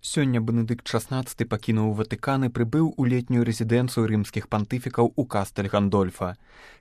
Сёння Бенедыкт XVI пакінуў Ватыкан і прыбыў у летнюю рэзідэнцыю рымскіх пантыфікаў у Кастэль Гандольфа.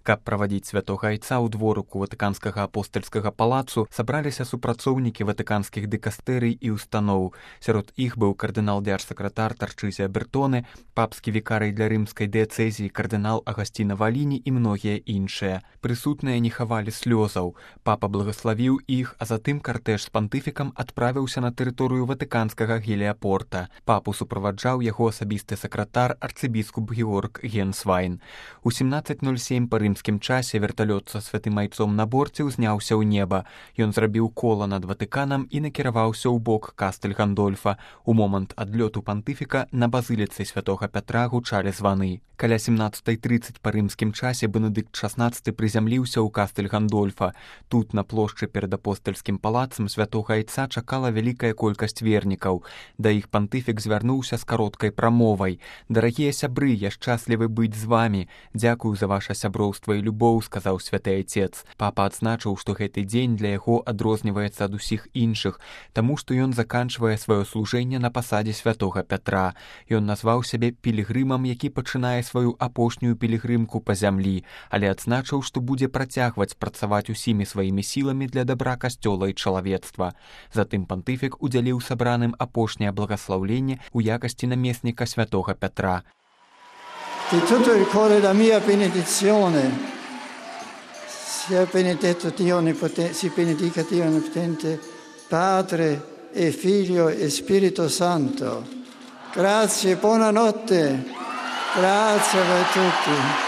Каб правадзіць святога айца ў дворыку Ватыканскага апостальскага палацу, сабраліся супрацоўнікі ватыканскіх дыкастэрый і устаноў. Сярод іх быў кардынал-дзярж-сакратар Тарчызія Бертоне, папскі вікарый для рымскай дыяцэзіі кардынал Агасціна Валіні і многія іншыя. Прысутныя не хавалі слёзаў. Папа благаславіў іх, а затым картэж з пантыфікам адправіўся на тэрыторыю ватыканскага Геліапорта. Папу суправаджаў яго асабісты сакратар арцыбіскуп Георг Генсвайн. У 17:07 па рымскім часе верталёт са святым айцом на борце ўзняўся ў неба. Ён зрабіў кола над Ватыканам і накіраваўся ў бок Кастэль Гандольфа. У момант адлёту пантыфіка на базыліцы святога Пятра гучалі званы. Каля 17:30 па рымскім часе Бенедыкт XVI прызямліўся ў Кастэль Гандольфа. Тут, на плошчы перад апостальскім палацам святога айца чакала вялікая колькасць вернікаў. Да іх пантыфік звярнуўся з кароткай прамовай. «Дарагія сябры, я шчаслівы быць з вамі. Дзякую за ваша сяброўства і любоў», — сказаў святы айцец. Папа адзначыў, што гэты дзень для яго адрозніваецца ад усіх іншых, таму што ён заканчвае сваё служэнне на пасадзе святога Пятра. Ён назваў сябе пілігрымам, які пачынае сваю апошнюю пілігрымку па зямлі, але адзначыў, што будзе працягваць працаваць усімі сваімі сіламі для дабра касцёла і чалавецтва. Затым пантыфік удзяліў сабраным апошняе благаслаўленне ў якасці намесніка святога Пятра. Di tutto il cuore la mia benedizione. Sia benedetto Dio Onnipotente, si benedica Dio Onnipotente, Padre e Figlio e Spirito Santo. Grazie, buonanotte. Grazie a tutti.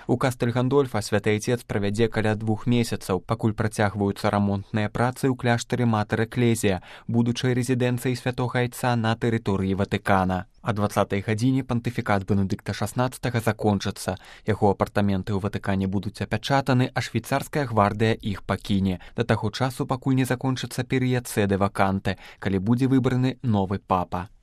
У Кастэль Гандольфа святы айцец правядзе каля 2 месяцаў, пакуль працягваюцца рамонтныя працы ў кляштары Матэр Эклезія, будучай рэзідэнцыяй святога айца на тэрыторыі Ватыкана. А 20-й гадзіне пантыфікат Бенедыкта XVI закончыцца. Яго апартаменты ў Ватыкане будуць апячатаны, а швейцарская гвардыя іх пакіне. Да таго часу, пакуль не закончыцца перыяд сэды ваканте, калі будзе выбраны новы папа.